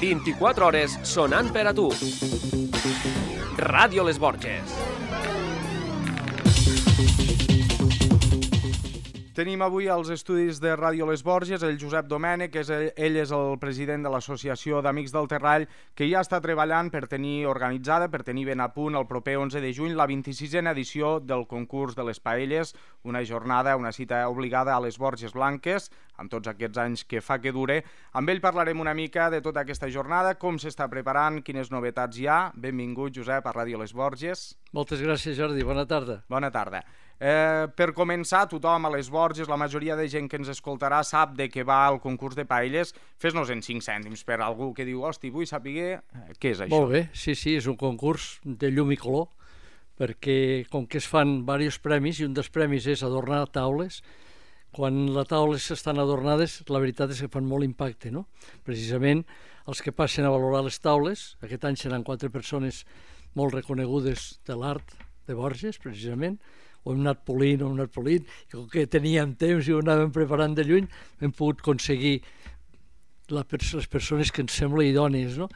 24 hores sonant per a tu. Ràdio Les Borges. Tenim avui als estudis de Ràdio Les Borges el Josep Domènech, ell és el president de l'Associació d'Amics del Terrall, que ja està treballant per tenir organitzada, per tenir ben a punt el proper 11 de juny la 26a edició del concurs de les paelles, una jornada, una cita obligada a les Borges Blanques, amb tots aquests anys que fa que dure. Amb ell parlarem una mica de tota aquesta jornada, com s'està preparant, quines novetats hi ha. Benvingut, Josep, a Ràdio Les Borges. Moltes gràcies, Jordi. Bona tarda. Bona tarda. Per començar, tothom a les Borges, la majoria de gent que ens escoltarà sap de què va el concurs de paelles. Fes-nos en 5 cèntims per algú que diu, hosti, vull saber què és això. Molt bé, sí, és un concurs de llum i color, perquè com que es fan diversos premis, i un dels premis és adornar taules, quan les taules estan adornades, la veritat és que fan molt impacte, no? Precisament els que passen a valorar les taules, aquest any seran 4 persones molt reconegudes de l'art de Borges, precisament, ho hem anat polint, i com que teníem temps i ho anàvem preparant de lluny, hem pogut aconseguir les persones que ens sembla idònies, no?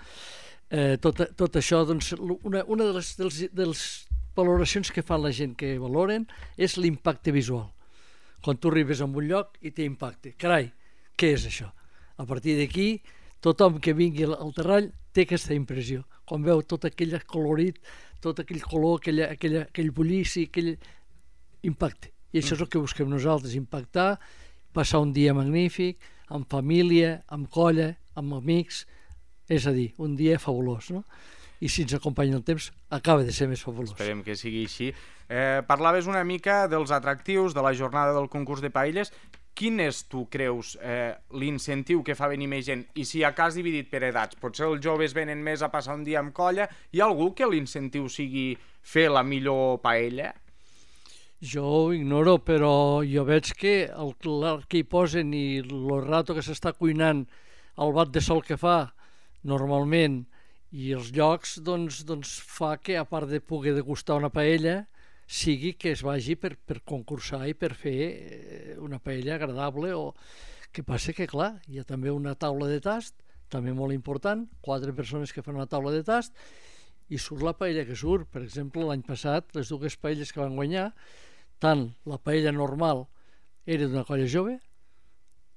Tot això, doncs, una de les valoracions que fan la gent que valoren és l'impacte visual. Quan tu arribes a un lloc i té impacte. Carai, què és això? A partir d'aquí, tothom que vingui al Terrall té aquesta impressió. Quan veu tot aquell colorit, tot aquell color, aquell bullici, aquell impacte. I això és el que busquem nosaltres, impactar, passar un dia magnífic, amb família, amb colla, amb amics, és a dir, un dia fabulós, no? I si ens acompanya el temps, acaba de ser més fabulós. Esperem que sigui així. Parlaves una mica dels atractius de la jornada del concurs de paelles. Quin és, tu creus, l'incentiu que fa venir més gent? I si a cas dividit per edats, potser els joves venen més a passar un dia amb colla, hi ha algú que l'incentiu sigui fer la millor paella? Jo ho ignoro, però jo veig que l'art que hi posen i el rato que s'està cuinant, el bat de sol que fa normalment i els llocs, doncs fa que, a part de poder degustar una paella, sigui que es vagi per concursar i per fer una paella agradable. O que passa que, clar, hi ha també una taula de tast, també molt important, 4 persones que fan una taula de tast, i surt la paella que surt. Per exemple, l'any passat, les 2 paelles que van guanyar, tant la paella normal era d'una colla jove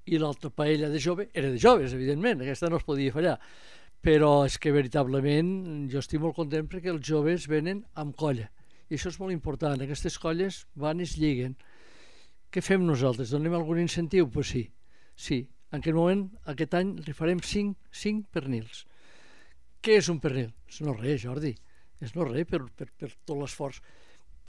i l'altra paella de jove era de joves, evidentment, aquesta no es podia fallar. Però és que veritablement jo estic molt content perquè els joves venen amb colla. I això és molt important, aquestes colles van i es lliguen. Què fem nosaltres? Donem algun incentiu? Doncs sí. En aquest moment, aquest any, li farem 5 pernils. Què és un pernil? És no res, Jordi. És no res per tot l'esforç.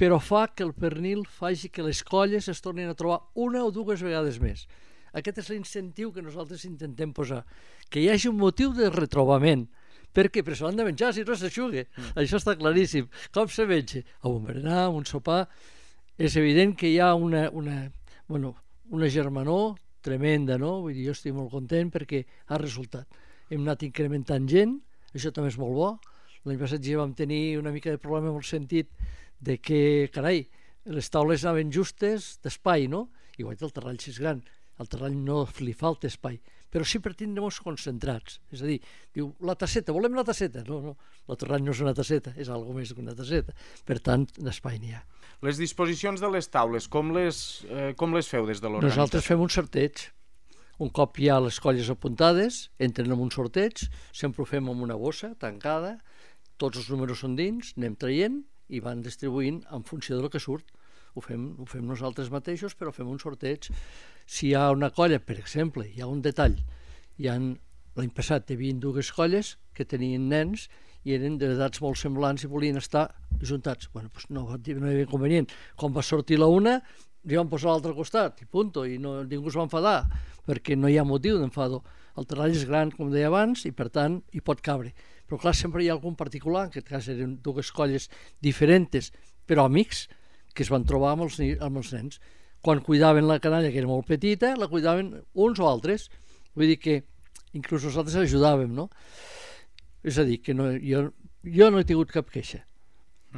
Però fa que el pernil faci que les colles es tornin a trobar 1 o 2 vegades més. Aquest és l'incentiu que nosaltres intentem posar. Que hi hagi un motiu de retrobament. Per què? Perquè s'ho han de menjar, si no s'aixuga. Això està claríssim. Com se menja? A un berenar, a un sopar. És evident que hi ha una germanor tremenda, no? Vull dir, jo estic molt content perquè ha resultat. Hem anat incrementant gent, això també és molt bo. L'any passat ja vam tenir una mica de problema en el sentit de que, carai, les taules anaven justes d'espai, no? Igual que el Terrall, si és gran, al Terrall no li falta espai, però sí per tindre-nos concentrats. És a dir, diu, la tasseta, volem la tasseta? No, el Terrall no és una tasseta, és alguna més que una tasseta. Per tant, d'espai n'hi ha. Les disposicions de les taules, com les feu des de l'organització? Nosaltres fem un sorteig. Un cop hi ha les colles apuntades, entren en un sorteig, sempre ho fem amb una bossa tancada, tots els números són dins, anem traient i van distribuint en funció del que surt. Ho fem nosaltres mateixos, però fem un sorteig. Si hi ha una colla, per exemple, hi ha un detall, l'any passat hi havia 2 colles que tenien nens i eren d'edats molt semblants i volien estar ajuntats. Bueno, doncs no hi havia inconvenient. Quan va sortir la una, li van posar l'altre costat i punto, i ningú es va enfadar, perquè no hi ha motiu d'enfado. El Terrall és gran, com deia abans, i per tant hi pot cabre. Però clar, sempre hi ha algun particular, en aquest cas eren 2 colles diferents, però amics, que es van trobar amb els nens. Quan cuidaven la canalla, que era molt petita, la cuidaven uns o altres. Vull dir que inclús nosaltres ajudàvem, no? És a dir, que jo no he tingut cap queixa.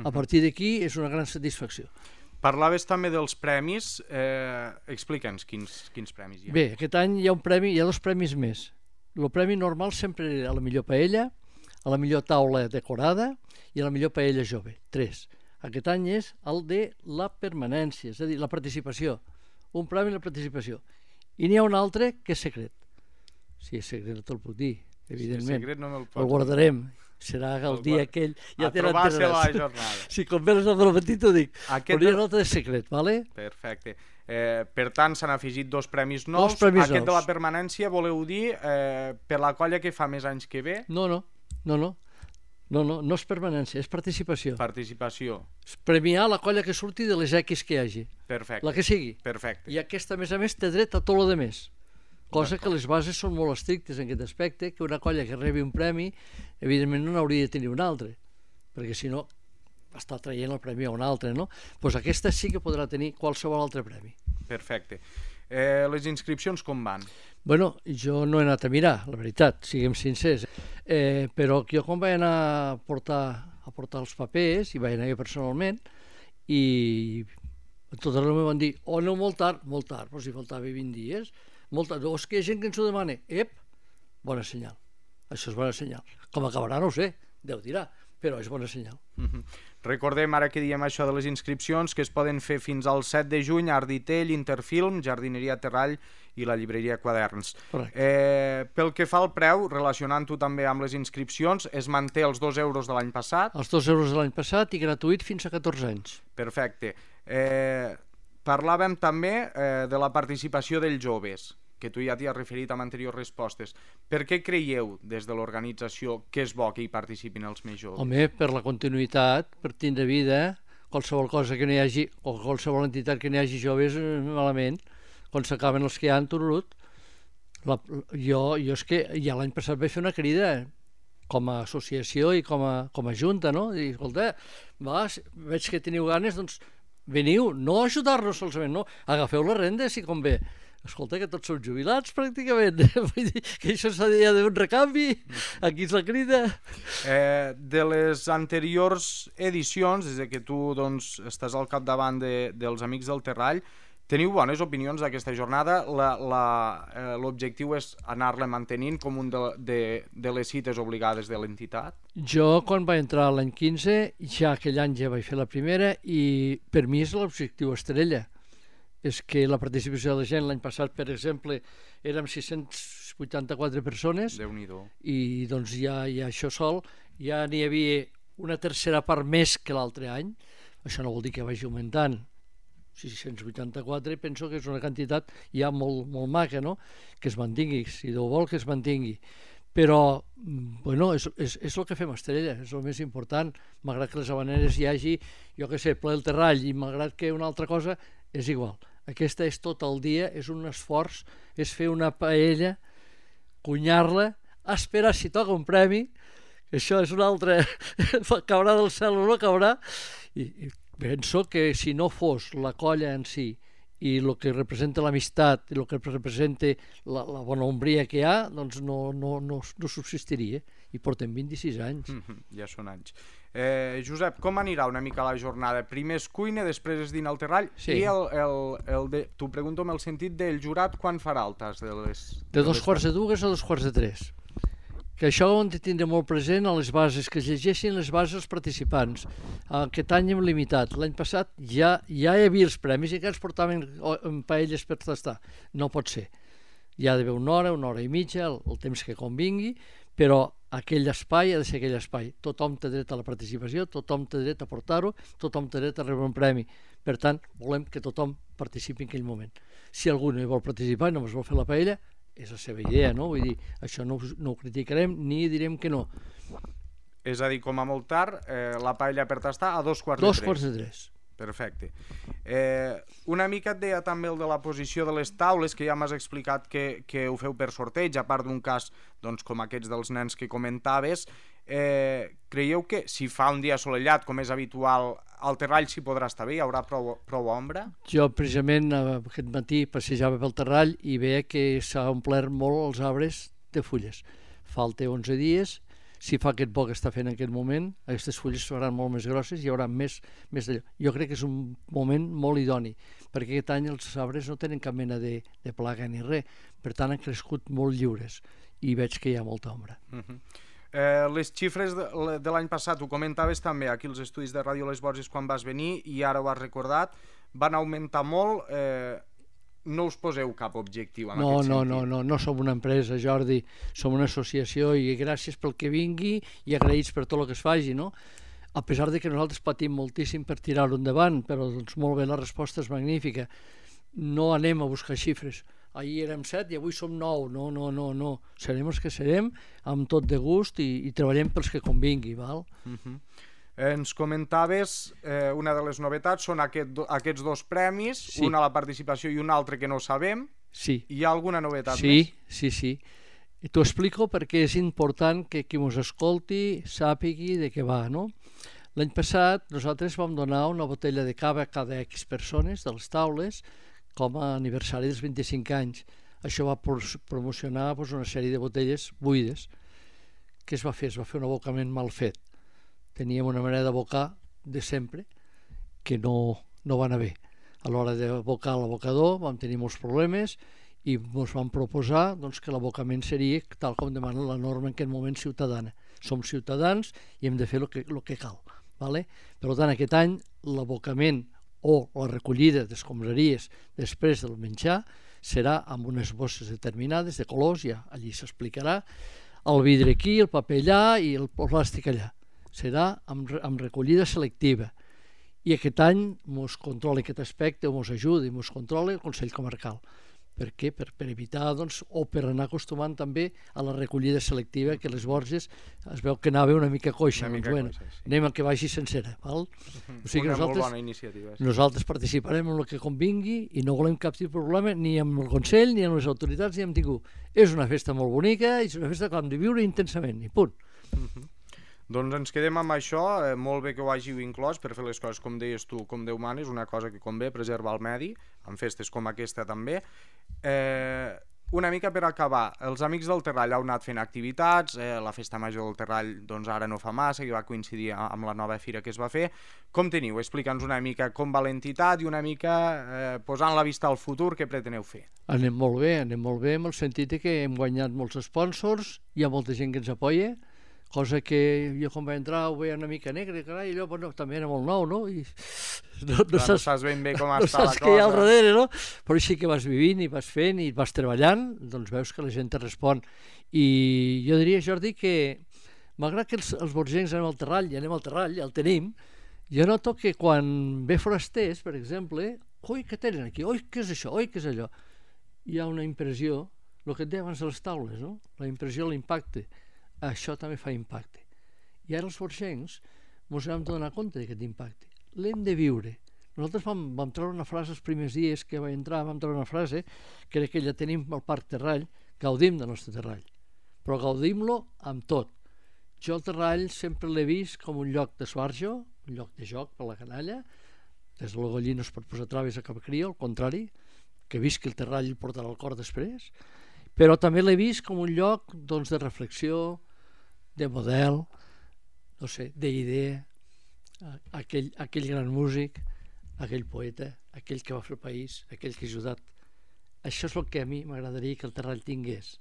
A partir d'aquí és una gran satisfacció. Parlaves també dels premis. Explica'ns quins premis hi ha. Bé, aquest any hi ha 2 premis més. el premi normal sempre era a la millor paella, a la millor taula decorada i a la millor paella jove, 3. Aquest any és el de la permanència, és a dir, la participació. Un premi a la participació. I n'hi ha un altre que és secret. Si és secret no te'l puc dir, evidentment. Si és secret no me'l pots el guardarem. Serà el dia aquell. Ja te n'enteraràs. A trobar-se la jornada. Si com veus el matí t'ho dic. Però hi ha un altre de secret, ¿vale? Perfecte. Per tant, s'han afegit 2 premis nous. Aquest de la permanència, voleu dir, per la colla que fa més anys que ve? No és permanència, és participació. Participació. És premiar la colla que surti de les X que hi hagi. Perfecte. La que sigui. Perfecte. I aquesta, a més, té dret a tot el de més. Cosa que les bases són molt estrictes en aquest aspecte, que una colla que rebi un premi, evidentment no n'hauria de tenir un altre, perquè si no està traient el premi a un altre, no? Doncs aquesta sí que podrà tenir qualsevol altre premi. Perfecte. Les inscripcions com van? Bueno, jo no he anat a mirar, la veritat, siguem sincers, però jo quan vaig anar a portar els papers, i vaig anar jo personalment, i tot arreu em van dir, aneu molt tard, però si faltava 20 dies, molt tard, és que hi ha gent que ens ho demana, bona senyal, això és bona senyal. Com acabarà no ho sé, Déu dirà, però és bona senyal. Recordem, ara que diem això de les inscripcions, que es poden fer fins al 7 de juny a Arditell, Interfilm, Jardineria Terrall i la llibreria Quaderns. Pel que fa al preu, relacionant-ho també amb les inscripcions, es manté els 2 euros de l'any passat? Els 2 euros de l'any passat i gratuït fins a 14 anys. Perfecte. Parlàvem també de la participació dels joves, que tu ja t'hi has referit amb anteriors respostes. Per què creieu des de l'organització que és bo que hi participin els més joves? Home, per la continuïtat, per tindre vida, qualsevol cosa que no hi hagi, o qualsevol entitat que no hi hagi joves, malament. Quan s'acaben els que hi ha, tururut. Jo és que ja l'any passat vaig fer una crida com a associació i com a junta, no? I, escolta, veig que teniu ganes, doncs veniu, no a ajudar-nos solament, no, agafeu les rendes si convé. Escolta, que tots som jubilats pràcticament, vull dir que això s'ha d'haver un recanvi, aquí és la crida. De les anteriors edicions, des que tu estàs al capdavant dels Amics del Terrall, teniu bones opinions d'aquesta jornada? L'objectiu és anar-la mantenint com un de les cites obligades de l'entitat? Jo, quan vaig entrar l'any 15, ja aquell any ja vaig fer la primera i per mi és l'objectiu estrella. És que la participació de la gent l'any passat, per exemple, érem 684 persones. Déu-n'hi-do. I doncs ja això sol, ja n'hi havia una tercera part més que l'altre any. Això no vol dir que vagi augmentant. 684 penso que és una quantitat ja molt maca, no? Que es mantingui, si Déu vol que es mantingui. Però, bueno, és el que fem Estrella, és el més important. Malgrat que les habaneres hi hagi, jo què sé, ple el terrall, i malgrat que una altra cosa, és igual. Aquesta és tot el dia, és un esforç, és fer una paella, cunyar-la, esperar si toca un premi, això és un altre, caurà del cel o no caurà, i penso que si no fos la colla en si i el que representa l'amistat i el que representa la bona ombria que hi ha, doncs no subsistiria. I portem 26 anys. Ja són anys. Josep, com anirà una mica la jornada? Primer es cuina, després es dina al terrall, sí. I t'ho pregunto amb el sentit del jurat, quan farà el tas de les... De 2:45 a 2:45. Que això ho hem de tindre molt present a les bases, que es llegeixin les bases als participants. Aquest any hem limitat. L'any passat ja hi havia els premis i que ens portaven paelles per tastar. No pot ser. Hi ha d'haver una hora i mitja, el temps que convingui, però aquell espai ha de ser aquell espai. Tothom té dret a la participació, tothom té dret a portar-ho, tothom té dret a rebre un premi. Per tant, volem que tothom participi en aquell moment. Si algú no hi vol participar i només vol fer la paella, és la seva idea, no? Vull dir, això no ho criticarem ni direm que no. És a dir, com a molt tard, la paella per tastar a 2:45. 2:45. Perfecte. Una mica et deia també el de la posició de les taules, que ja m'has explicat que ho feu per sorteig, a part d'un cas com aquests dels nens que comentaves. Creieu que si fa un dia assolellat, com és habitual, al terrall s'hi podrà estar bé? Hi haurà prou ombra? Jo precisament aquest matí passejava pel terrall i veia que s'ha omplert molt els arbres de fulles. Falta 11 dies. Si fa aquest bo que està fent en aquest moment, aquestes fulles seran molt més grosses i hi haurà més d'allò. Jo crec que és un moment molt idoni, perquè aquest any els arbres no tenen cap mena de plaga ni res, per tant han crescut molt lliures. i veig que hi ha molta ombra. Les xifres de l'any passat, ho comentaves també aquí als estudis de Ràdio Les Borges quan vas venir i ara ho has recordat, van augmentar molt. No us poseu cap objectiu en aquest sentit? No som una empresa, Jordi, som una associació i gràcies pel que vingui i agraïts per tot el que es faci, no? A pesar de que nosaltres patim moltíssim per tirar-ho endavant, però doncs molt bé, la resposta és magnífica. No anem a buscar xifres. Ahir érem 7 i avui som 9. No. Serem els que serem, amb tot de gust i treballem pels que convingui, val? Ens comentaves, una de les novetats són aquests dos premis, una a la participació i un altre que no sabem. Sí. Hi ha alguna novetat més? Sí. T'ho explico perquè és important que qui ens escolti sàpigui de què va, no? L'any passat nosaltres vam donar una botella de cava a cada X persones de les taules com a aniversari dels 25 anys. Això va promocionar una sèrie de botelles buides. Què es va fer? Es va fer un abocament mal fet. Teníem una manera d'abocar de sempre que no va anar bé. A l'hora d'abocar l'abocador vam tenir molts problemes i ens vam proposar que l'abocament seria tal com demana la norma en aquest moment ciutadana. Som ciutadans i hem de fer el que cal. Per tant, aquest any l'abocament o la recollida d'escombraries després del menjar serà amb unes bosses determinades de colors, ja allí s'explicarà, el vidre aquí, el paper allà i el plàstic allà. Serà amb recollida selectiva. I aquest any ens controla aquest aspecte, o ens ajuda i ens controla el Consell Comarcal. Per què? Per evitar, o per anar acostumant també a la recollida selectiva, que les Borges es veu que anava una mica coixa. Anem a que vagi sencera. Val? O sigui, una molt bona iniciativa. Nosaltres participarem en el que convingui i no volem cap tipus de problema ni amb el Consell, ni amb les autoritats, ni amb ningú. És una festa molt bonica, és una festa que hem de viure intensament, i punt. Doncs ens quedem amb això, molt bé que ho hàgiu inclòs per fer les coses com deies tu, com Déu mana, és una cosa que convé, preservar el medi, en festes com aquesta també. Una mica per acabar, els Amics del Terrall heu anat fent activitats, la Festa Major del Terrall ara no fa massa, que va coincidir amb la nova fira que es va fer. Com teniu? Explica'ns una mica com va l'entitat i una mica posant la vista al futur, què preteneu fer? Anem molt bé, en el sentit que hem guanyat molts sponsors, hi ha molta gent que ens apoya, cosa que jo quan vaig entrar ho veia una mica negre, carai, allò també era molt nou, no? I no saps ben bé com està la cosa. No saps què hi ha al darrere, no? Però així que vas vivint i vas fent i vas treballant, doncs veus que la gent te respon. I jo diria, Jordi, que malgrat que els borgencs anem al Terrall, el tenim, jo noto que quan ve forasters, per exemple, oi, què tenen aquí? Oi, què és això? Oi, què és allò? Hi ha una impressió, el que et deia abans de les taules, no? La impressió, l'impacte. Això també fa impacte. I ara els borgencs ens hem de donar compte d'aquest impacte. L'hem de viure. Nosaltres vam treure una frase els primers dies que vaig entrar, vam treure una frase que era que ja tenim al Parc Terrall, gaudim del nostre Terrall, però gaudim-lo amb tot. Jo el Terrall sempre l'he vist com un lloc d'esbarjo, un lloc de joc per la canalla, des de la gallina no es pot posar traves a cap cria, al contrari, que visqui el Terrall i portarà el cor després, però també l'he vist com un lloc de reflexió, de model, no sé, d'idea, aquell gran músic, aquell poeta, aquell que va fer el país, aquell que ha ajudat. Això és el que a mi m'agradaria que el Terrall tingués.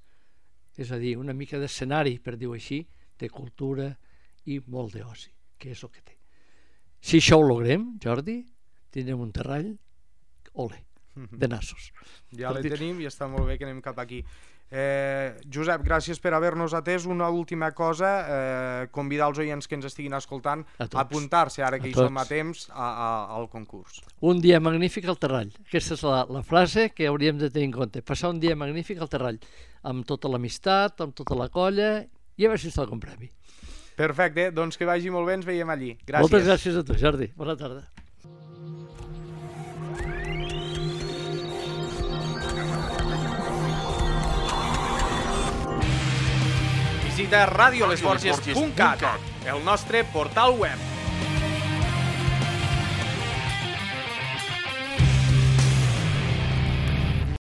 És a dir, una mica d'escenari, per dir-ho així, de cultura i molt d'oci, que és el que té. Si això ho logrem, Jordi, tindrem un Terrall, ole, de nassos. Ja l'hi tenim i està molt bé que anem cap aquí. Josep, gràcies per haver-nos atès. Una última cosa, convidar els oients que ens estiguin escoltant a apuntar-se, ara que hi som a temps, al concurs. Un dia magnífic al Terrall. Aquesta és la frase que hauríem de tenir en compte. Passar un dia magnífic al Terrall, amb tota l'amistat, amb tota la colla, i a veure si està el premi. Perfecte, doncs que vagi molt bé, ens veiem allí. Gràcies. Moltes gràcies a tu, Jordi. Bona tarda. Visita radiolesborges.cat, el nostre portal web.